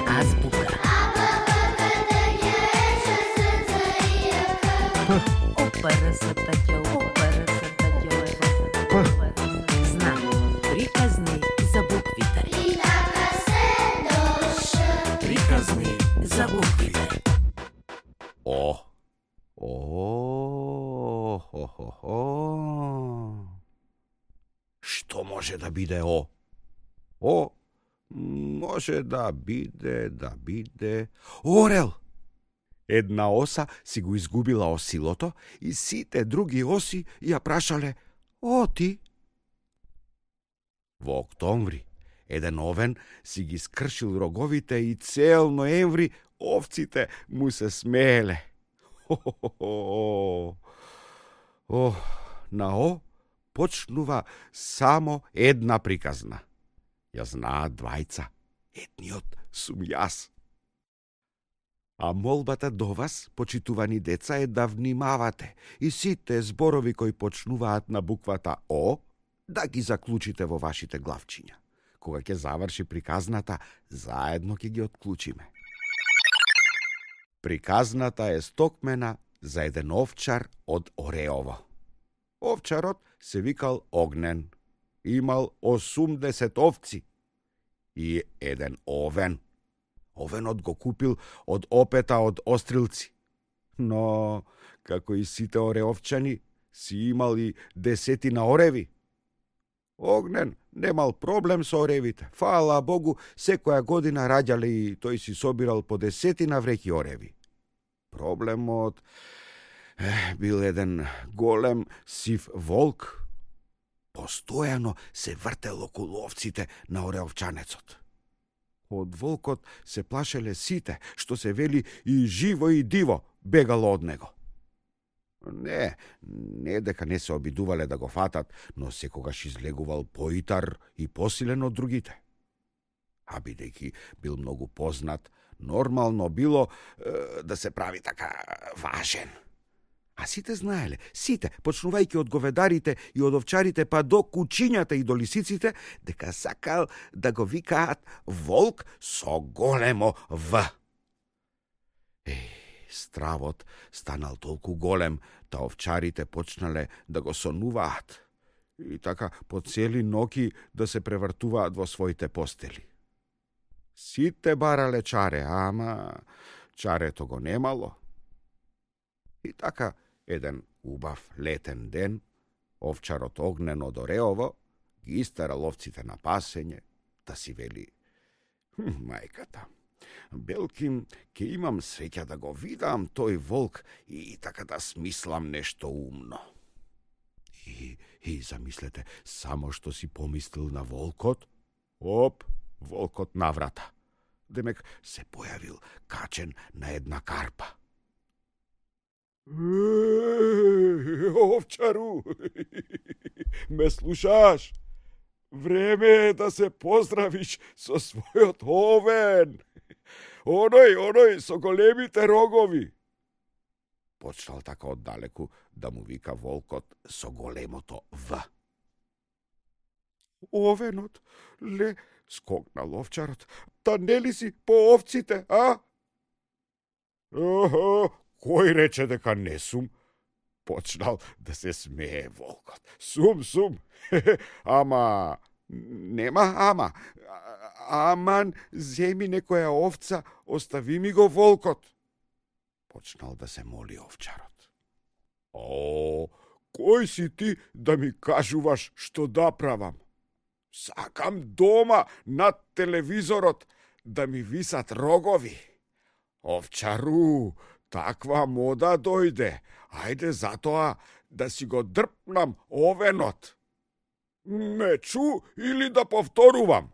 Азбука. Знак. Приказни за буквите. Приказни за буквите. Што може да биде О? Може да биде орел. Една оса си го изгубила осилото и сите други оси ја прашале: ти? Во октомври еден овен си ги скршил роговите и цел ноември овците му се смееле. На почнува само една приказна. Ја знаат двајца. Едниот сум јас. А молбата до вас, почитувани деца, е да внимавате и сите зборови кои почнуваат на буквата О, да ги заклучите во вашите главчиња. Кога ќе заврши приказната, заедно ќе ги отклучиме. Приказната е стокмена за еден овчар од Ореово. Овчарот се викал Огнен. Имал 80 овци и еден овен. Овенот го купил од опета од Острилци. Но, како и сите ореовчани, си имал и 10 ореви. Огнен немал проблем со оревите. Фала Богу, секоја година раѓале и тој си собирал по 10 вреќи ореви. Проблемот бил еден голем сив волк. Постојано се вртел околу овците на ореовчанецот. Од волкот се плашеле сите, што се вели и живо и диво бегало од него. Не дека не се обидувале да го фатат, но секогаш излегувал поитар и посилен од другите. А бидејќи бил многу познат, нормално било да се прави така важен. А сите знаеле, сите, почнувајќи од говедарите и од овчарите па до кучињата и до лисиците, дека сакал да го викаат волк со големо В. Стравот станал толку голем, та овчарите почнале да го сонуваат и така по цели ноќи да се превртуваат во своите постели. Сите барале чаре, ама чарето го немало. И така, еден убав летен ден, овчарот Огнен од Ореово ги истерал овците на пасење, да си вели: мајката, белким, ке имам среќа да го видам тој волк и така да смислам нешто умно. И замислете, само што си помислил на волкот, волкот наврата. Демек се појавил качен на една карпа. Овчару, ме слушаш? Време е да се поздравиш со својот овен. Оној со големите рогови. Почнал така оддалеку да му вика волкот со големото В. Овенот, скокнал овчарот, та нели си по овците, а? Кој рече дека не сум? Почнал да се смее волкот. Сум. Ама, нема ама. Аман, земи некоја овца, остави ми го волкот. Почнал да се моли овчарот. Кој си ти да ми кажуваш што да правам? Сакам дома над телевизорот да ми висат рогови. Овчару, таква мода дојде. Ајде затоа да си го дрпнам овенот. Ме чу или да повторувам?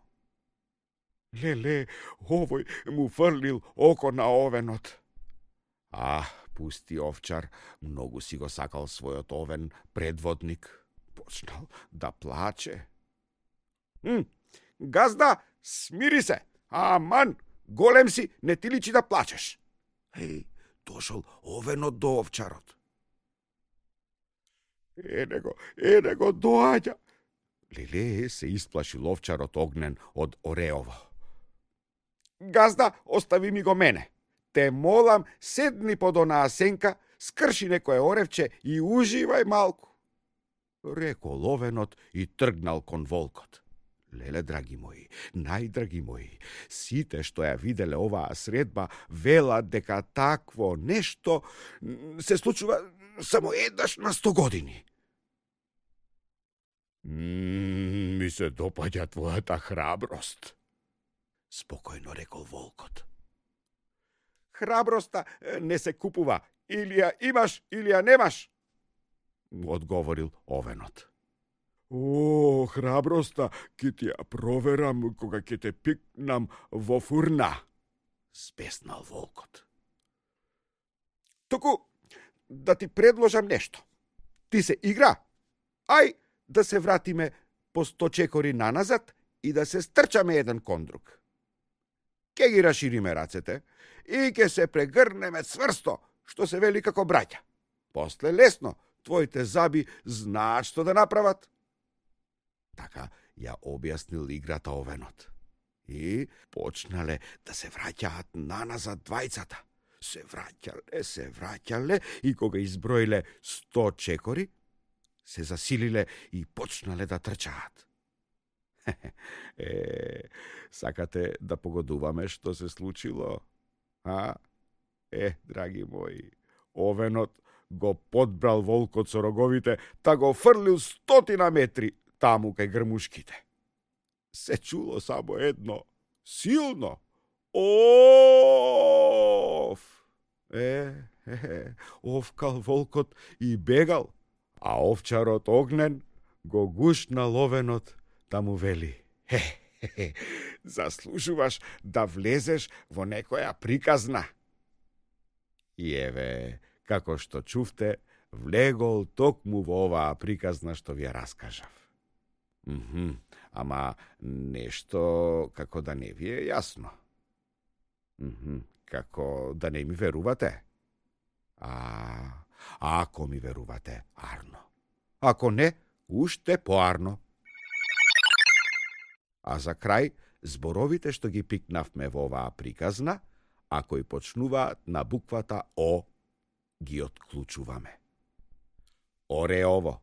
Леле, овој му фрлил око на овенот. Пусти овчар, многу си го сакал својот овен предводник. Почнал да плаче. Газда, смири се. Аман, голем си, не ти личи да плачеш. Дошол овенот до овчарот. Ене го доаѓа. Леле се исплашил овчарот Огнен од Ореово. Газда, остави ми го мене. Те молам, седни под онаа сенка, скрши некое оревче и уживај малку. Рекол овенот и тргнал кон волкот. Леле, драги мои, најдраги мои, сите што ја виделе оваа средба велат дека такво нешто се случува само еднаш на 100 години. Ми се допаѓа твојата храброст, спокојно рекол волкот. Храброста не се купува, или ја имаш, или ја немаш, одговорил овенот. О, храброста ќе ти ја проверам кога ќе те пикнам во фурна, спеснал волкот. Току да ти предложам нешто. Ти се игра, ај да се вратиме по 100 чекори наназад и да се стрчаме еден кон друг. Ке ги рашириме рацете и ке се прегрнеме цврсто, што се вели како браќа. После лесно, твоите заби знаат што да направат. Така ја објаснил играта овенот. И почнале да се враќаат наназад двајцата. Се враќале и кога изброиле 100 чекори, се засилиле и почнале да трчаат. Сакате да погодуваме што се случило? Драги мои, овенот го подбрал волкот со роговите, та го фрлил 100 метри таму кај грмушките. Се чуло само едно, силно ов! Овкал волкот и бегал, а овчарот Огнен го гушнал овенот да му вели: заслужуваш да влезеш во некоја приказна. И еве, како што чувте, влегол токму во оваа приказна што ви ја раскажав. Ама нешто како да не ви е јасно. Како да не ми верувате? Ако ми верувате, арно. Ако не, уште поарно. А за крај, зборовите што ги пикнавме во оваа приказна, ако и почнуваат на буквата О, ги отклучуваме. Ореово,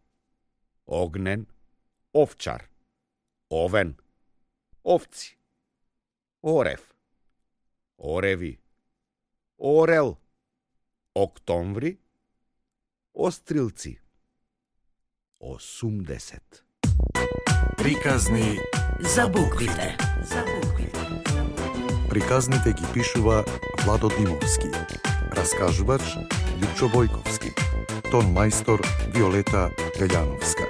Огнен, овчар, овен, овци, орев, ореви, орел, октомври, острилци, 80. Приказни за буквите. Приказните ги пишува Владо Димовски. Раскажувач Лјупчо Бојковски. Тон мајстор Виолета Гаљановска.